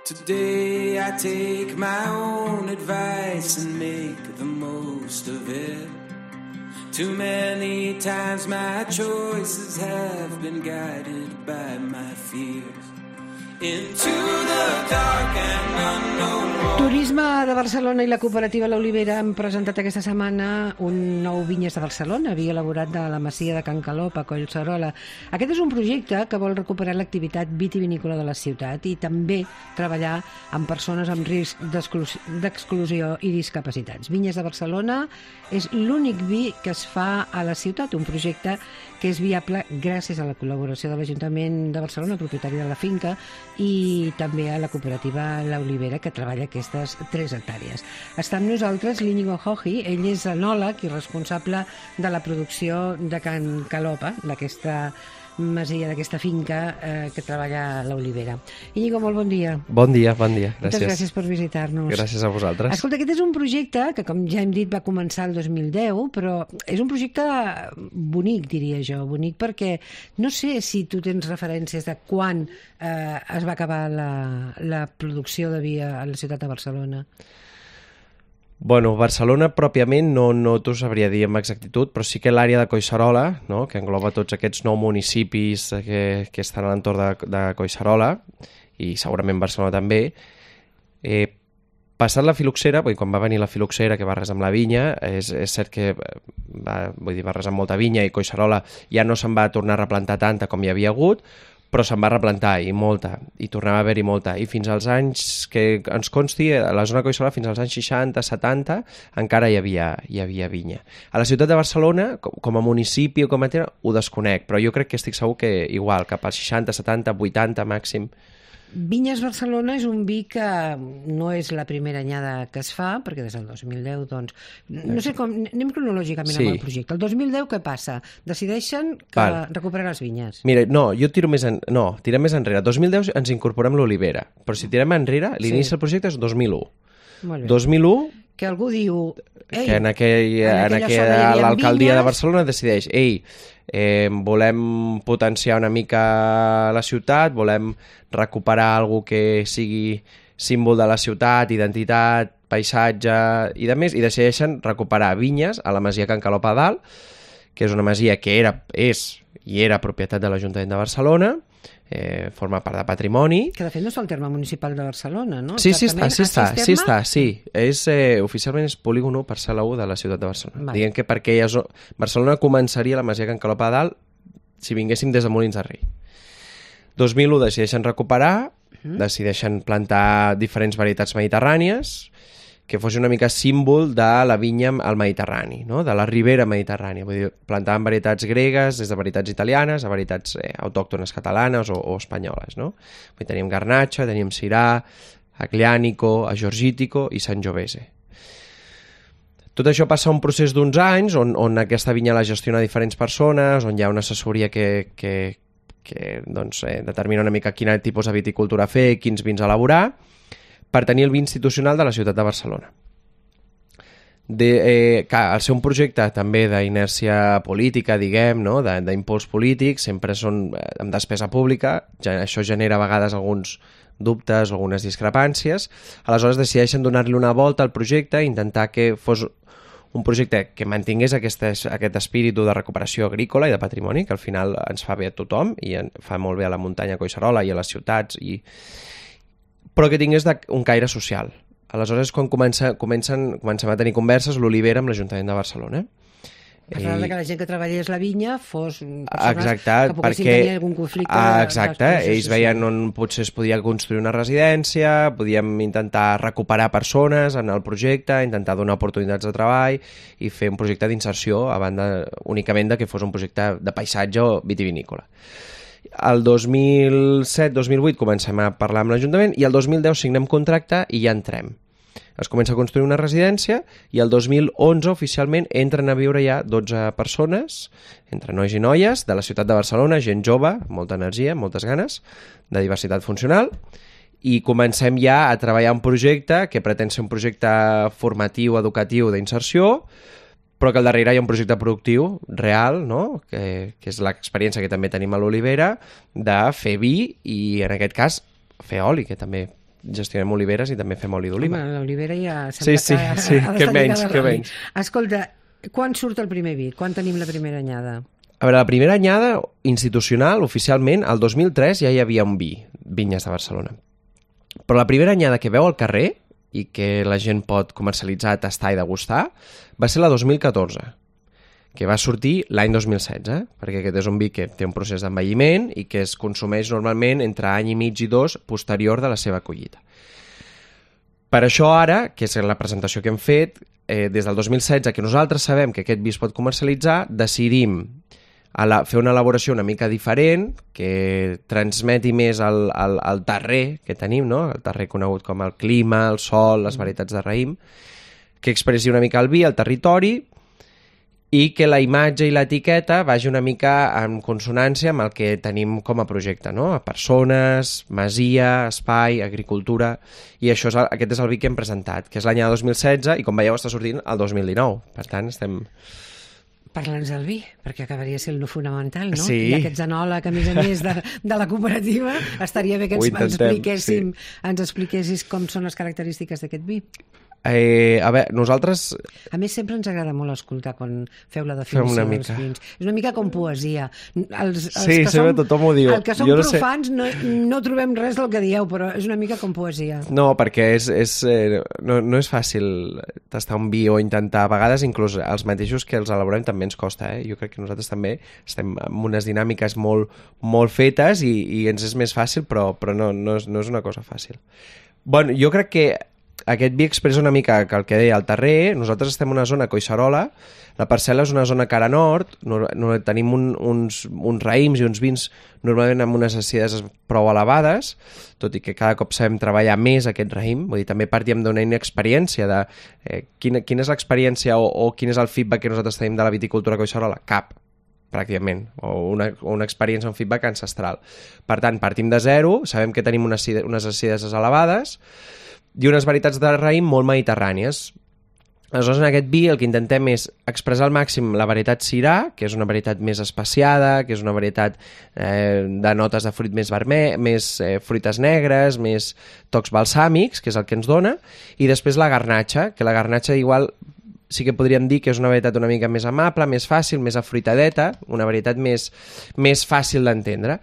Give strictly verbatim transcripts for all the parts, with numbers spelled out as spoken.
Today I take my own advice and make the most of it. Too many times my choices have been guided by my fears. Into the dark and unknown. Turisme de Barcelona i la cooperativa L'Olivera han presentat aquesta setmana un nou Vinyes de Barcelona, vi elaborat de la masia de Can Calop a Collserola. Aquest és un projecte que vol recuperar l'activitat vitivinícola de la ciutat i també treballar amb persones amb risc d'exclusió i discapacitats. Vinyes de Barcelona és l'únic vi que es fa a la ciutat, un projecte que és viable gràcies a la col·laboració de l'Ajuntament de Barcelona, propietari de la finca, i també a la cooperativa L'Olivera, que treballa aquestes tres hectàrees. Està amb nosaltres l'Íñigo Joji, ell és enòleg i responsable de la producció de Can Calopa, d'aquesta masia, d'aquesta finca eh, que treballa L'Olivera. Íñigo, molt bon dia. Bon dia, bon dia, gràcies. Moltes gràcies per visitar-nos. Gràcies a vosaltres. Escolta, aquest és un projecte que, com ja hem dit, va començar el dos mil deu, però és un projecte bonic, diria jo, bonic perquè no sé si tu tens referències de quan eh, es va acabar la, la producció de vi a la ciutat de Barcelona. Bueno, Barcelona pròpiament no, no t'ho sabria dir amb exactitud, però sí que l'àrea de Collserola, no?, que engloba tots aquests nou municipis que, que estan a l'entorn de, de Collserola, i segurament Barcelona també, eh, passat la filoxera, vull dir, quan va venir la filoxera que va arrasar amb la vinya, és, és cert que va, vull dir, va arrasar amb molta vinya i Collserola ja no se'n va tornar a replantar tanta com hi havia hagut, però se'n va replantar, i molta, i tornava a haver-hi molta. I fins als anys que ens consti, a la zona de Collserola, fins als anys seixanta, setanta, encara hi havia, hi havia vinya. A la ciutat de Barcelona, com, com a municipi o com a terra, ho desconec, però jo crec que estic segur que igual, cap als seixanta, setanta, vuitanta màxim. Vinyes Barcelona és un vi que no és la primera anyada que es fa, perquè des del dos mil deu, doncs... No sé com... Anem cronològicament sí. amb el projecte. El dos mil deu què passa? Decideixen que Val. recuperar les vinyes. Mira, no, jo tiro més en... No, tirem més enrere. dos mil deu ens incorporem l'Olivera, però si tirem enrere, l'inici sí. del projecte és dos mil u. Molt bé. dos mil u... Que algú diu... Ei, que en, aquell, en, en aquella l'alcaldia de Barcelona decideix, ei, eh, volem potenciar una mica la ciutat, volem recuperar alguna que sigui símbol de la ciutat, identitat, paisatge i de més, i decideixen recuperar vinyes a la masia Can Calop a dalt, que és una masia que era, és i era propietat de l'Ajuntament de Barcelona, eh, forma part de patrimoni. Que de fet no està al terme municipal de Barcelona, no? Sí, sí està, sí està, sí està, sí. És, eh, oficialment és polígon u parcel·la u de la ciutat de Barcelona. Vale. Diguem que perquè ja zo... Barcelona començaria la masia Can Calop a dalt si vinguéssim des de Molins de Rei. dos mil u decideixen recuperar, uh-huh. decideixen plantar diferents varietats mediterrànies, que fos una mica símbol de la vinya al Mediterrani, no? De la ribera mediterrània. Vull dir, plantaven varietats gregues, des de varietats italianes a varietats eh, autòctones catalanes o, o espanyoles, no? Vull dir, teníem Garnacha, teníem Syrah, Aglianico, Agorgítico i Sangiovese. Tot això passa un procés d'uns anys on, on aquesta vinya la gestiona diferents persones, on hi ha una assessoria que, que, que doncs, eh, determina una mica quin tipus de viticultura fer, quins vins elaborar, per tenir el vi institucional de la ciutat de Barcelona. De, eh, que al ser un projecte també d'inèrcia política, diguem, no? d'impuls polític, sempre són amb despesa pública, ja, això genera a vegades alguns dubtes, algunes discrepàncies, aleshores decideixen donar-li una volta al projecte i intentar que fos un projecte que mantingués aquest, aquest espíritu de recuperació agrícola i de patrimoni, que al final ens fa bé a tothom i fa molt bé a la muntanya Collserola i a les ciutats, i però que tingués un caire social. Aleshores, quan comença, comencen, comencem a tenir converses, l'Olivera amb l'Ajuntament de Barcelona. Per I... que la gent que treballés la vinya fos persones exacte, que poguessin perquè... tenir algun conflicte. Ah, exacte, ells veien on potser es podia construir una residència, podíem intentar recuperar persones en el projecte, intentar donar oportunitats de treball i fer un projecte d'inserció a banda únicament de que fos un projecte de paisatge o vitivinícola. El dos mil set dos mil vuit comencem a parlar amb l'Ajuntament i el dos mil deu signem contracte i ja entrem. Es comença a construir una residència i el dos mil onze oficialment entren a viure ja dotze persones, entre nois i noies, de la ciutat de Barcelona, gent jove, molta energia, moltes ganes, de diversitat funcional, i comencem ja a treballar un projecte que pretén ser un projecte formatiu, educatiu, d'inserció, però que al darrere hi ha un projecte productiu real, no? que, que és l'experiència que també tenim a l'Olivera, de fer vi i, en aquest cas, fer oli, que també gestionem oliveres i també fem oli d'oliva. Home, l'olivera ja Sí, sí, que, sí, que menys, que menys. Escolta, quan surt el primer vi? Quan tenim la primera anyada? A veure, la primera anyada institucional, oficialment, el dos mil tres ja hi havia un vi, Vinyes de Barcelona. Però la primera anyada que veu al carrer i que la gent pot comercialitzar, tastar i degustar, va ser la dos mil catorze, que va sortir l'any dos mil setze, perquè aquest és un vi que té un procés d'envelliment i que es consumeix normalment entre any i mig i dos posterior de la seva collita. Per això ara, que és la presentació que hem fet, eh, des del dos mil setze, que nosaltres sabem que aquest vi es pot comercialitzar, decidim a la, fer una elaboració una mica diferent, que transmeti més el, el, el terrer que tenim, no? El terrer conegut com el clima, el sol, les varietats de raïm, que expressi una mica el vi, el territori, i que la imatge i l'etiqueta vagi una mica en consonància amb el que tenim com a projecte, no? Persones, masia, espai, agricultura, i això és el, aquest és el vi que hem presentat, que és l'any dos mil setze, i com veieu està sortint el dos mil dinou. Per tant, estem... Parla'ns del vi, perquè acabaria sent lo fonamental, no? Sí. I aquest enòleg, a més a més de, de la cooperativa, estaria bé que ens, ens expliquéssim, sí. ens expliquessis com són les característiques d'aquest vi. Eh, a veure, nosaltres... A més, sempre ens agrada molt escoltar quan feu la definició dels vins. És una mica com poesia. Els, els sí, que sempre som, tothom ho diu. El que som no profans sé. no, no trobem res del que dieu, però és una mica com poesia. No, perquè és, és, eh, no, no és fàcil tastar un vi o intentar... A vegades, inclús els mateixos que els elaborem també ens costa. Eh? Jo crec que nosaltres també estem amb unes dinàmiques molt, molt fetes i, i ens és més fàcil, però, però no, no, és, no és una cosa fàcil. Bueno, jo crec que aquest vi expressa una mica que el que deia el terrer. Nosaltres estem en una zona Collserola, la parcel·la és una zona cara nord, no, no, tenim un, uns, uns raïms i uns vins normalment amb unes acideses prou elevades, tot i que cada cop sabem treballar més aquest raïm, vull dir, també partíem d'una inexperiència de eh, quina, quina és l'experiència o, o quin és el feedback que nosaltres tenim de la viticultura Collserola? Cap, pràcticament, o una, una experiència, un feedback ancestral. Per tant, partim de zero, sabem que tenim unes, unes acideses elevades, i unes varietats de raïm molt mediterrànies. Aleshores, en aquest vi el que intentem és expressar al màxim la varietat Syrah, que és una varietat més especiada, que és una varietat eh, de notes de fruit més vermell, més eh, fruites negres, més tocs balsàmics, que és el que ens dona, i després la garnatxa, que la garnatxa igual sí que podríem dir que és una varietat una mica més amable, més fàcil, més afruitadeta, una varietat més, més fàcil d'entendre.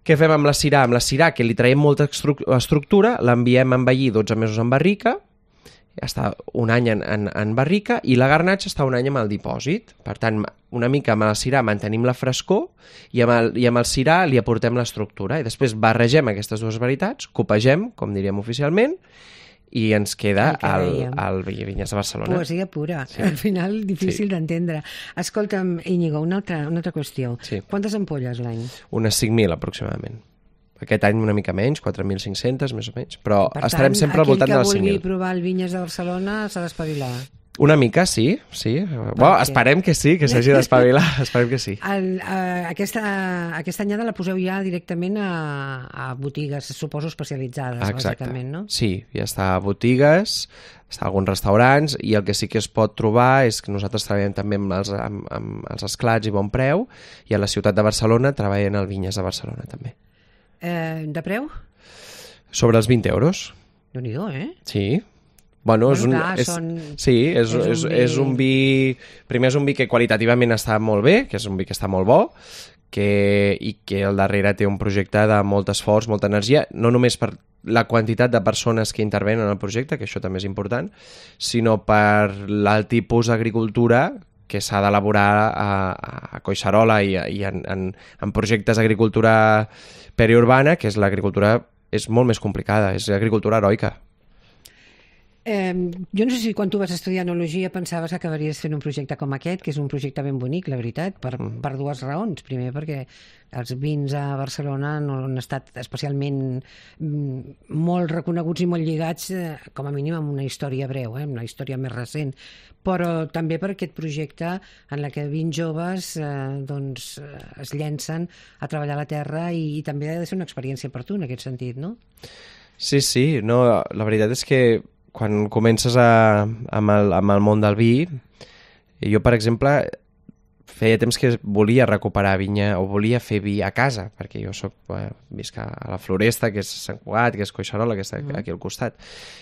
Què fem amb la Syrah? Amb la Syrah, que li traiem molta estructura, l'enviem a envellir dotze mesos en barrica, està un any en, en, en barrica, i la garnatxa està un any amb el dipòsit. Per tant, una mica amb la Syrah mantenim la frescor i amb el, i amb el Syrah li aportem l'estructura. I després barregem aquestes dues varietats, copegem, com diríem oficialment, i ens queda el, el Vinyes de Barcelona. Poesia pura, sí. Al final difícil sí. d'entendre. Escolta'm, Íñigo, una altra, una altra qüestió. Sí. Quantes ampolles l'any? Unes cinc mil aproximadament. Aquest any una mica menys, quatre mil cinc-cents més o menys, però per estarem tant, sempre al voltant de les cinc mil. Aquell que vulgui provar el Vinyes de Barcelona s'ha d'espavilar. Una mica, sí, sí. Bueno, esperem que sí, que s'hagi d'espavilar, esperem que sí. El, uh, aquesta, aquesta anyada la poseu ja directament a, a botigues, suposo, especialitzades, exacte. Bàsicament, no? Sí, ja està a botigues, està a alguns restaurants, i el que sí que es pot trobar és que nosaltres treballem també amb els, amb, amb els esclats i bon preu, i a la ciutat de Barcelona treballen al Vinyes de Barcelona també. Eh, de preu? Sobre els vint euros. Déu-n'hi-do, eh? Sí. Bueno, bueno és un, clar, és, són... sí, és, és, és, un vi... és un vi... Primer és un vi que qualitativament està molt bé, que és un vi que està molt bo, que, i que al darrere té un projecte de molt esforç, molta energia, no només per la quantitat de persones que intervenen en el projecte, que això també és important, sinó per el tipus d'agricultura que s'ha d'elaborar a, a Collserola i, i en, en, en projectes d'agricultura periurbana, que és l'agricultura és molt més complicada, és agricultura heroica. Eh, jo no sé si quan tu vas estudiar enologia pensaves que acabaries fent un projecte com aquest, que és un projecte ben bonic, la veritat, per, mm. per dues raons. Primer, perquè els vins a Barcelona no han estat especialment mm, molt reconeguts i molt lligats, eh, com a mínim, amb una història breu, eh, una història més recent. Però també per aquest projecte en la que vint joves eh, doncs, eh, es llencen a treballar a la terra, i, i també ha de ser una experiència per tu, en aquest sentit, no? Sí, sí. No, la veritat és que quan comences a, amb, el, amb el món del vi, jo, per exemple, feia temps que volia recuperar vinya o volia fer vi a casa, perquè jo soc, eh, visc a la Floresta, que és Sant Cugat, que és Collserola, que està aquí al costat.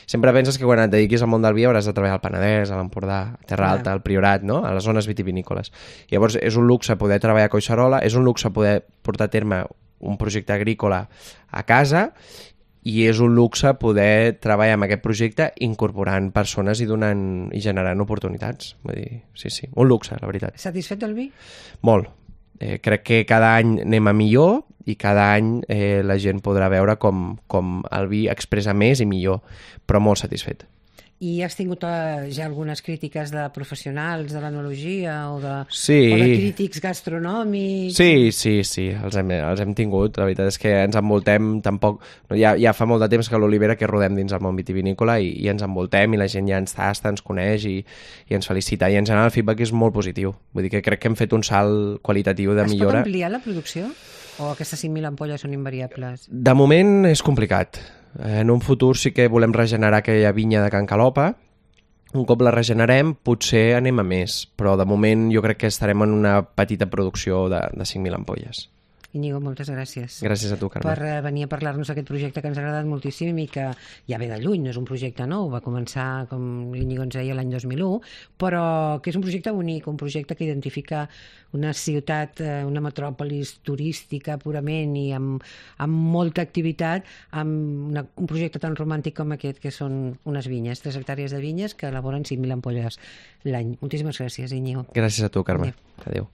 Sempre penses que quan et dediquis al món del vi hauràs de treballar al Penedès, a l'Empordà, a Terra Alta, al Priorat, no? A les zones vitivinícoles. Llavors és un luxe poder treballar a Collserola, és un luxe poder portar a terme un projecte agrícola a casa i és un luxe poder treballar amb aquest projecte incorporant persones i donant i generant oportunitats. Vull dir, sí, sí, un luxe, la veritat. Satisfet del vi? Molt. Eh, crec que cada any anem a millor i cada any eh, la gent podrà veure com, com el vi expressa més i millor, però molt satisfet. I has tingut uh, ja algunes crítiques de professionals de l'enologia o, de, sí. o de crítics gastronòmics? Sí, sí, sí, els hem, els hem tingut. La veritat és que ens envoltem tampoc... No, ja, ja fa molt de temps que a l'Olivera que rodem dins el món vitivinícola i, i ens envoltem i la gent ja ens tasta, ens coneix i, i ens felicita. I en general el feedback és molt positiu. Vull dir que crec que hem fet un salt qualitatiu de es millora. Es pot ampliar la producció? O aquestes cinc mil ampolles són invariables? De moment és complicat. En un futur sí que volem regenerar aquella vinya de Can Calopa. Un cop la regenerem, potser anem a més, però de moment jo crec que estarem en una petita producció de, de cinc mil ampolles. Íñigo, moltes gràcies. Gràcies a tu, Carme. Per venir a parlar-nos d'aquest projecte que ens ha agradat moltíssim i que ja ve de lluny, no és un projecte nou, va començar, com l'Íñigo ens deia, l'any dos mil u, però que és un projecte únic, un projecte que identifica una ciutat, una metròpolis turística purament i amb, amb molta activitat, amb una, un projecte tan romàntic com aquest, que són unes vinyes, tres hectàrees de vinyes que elaboren cinc mil ampolles l'any. Moltíssimes gràcies, Íñigo. Gràcies a tu, Carme. Adéu. Adéu.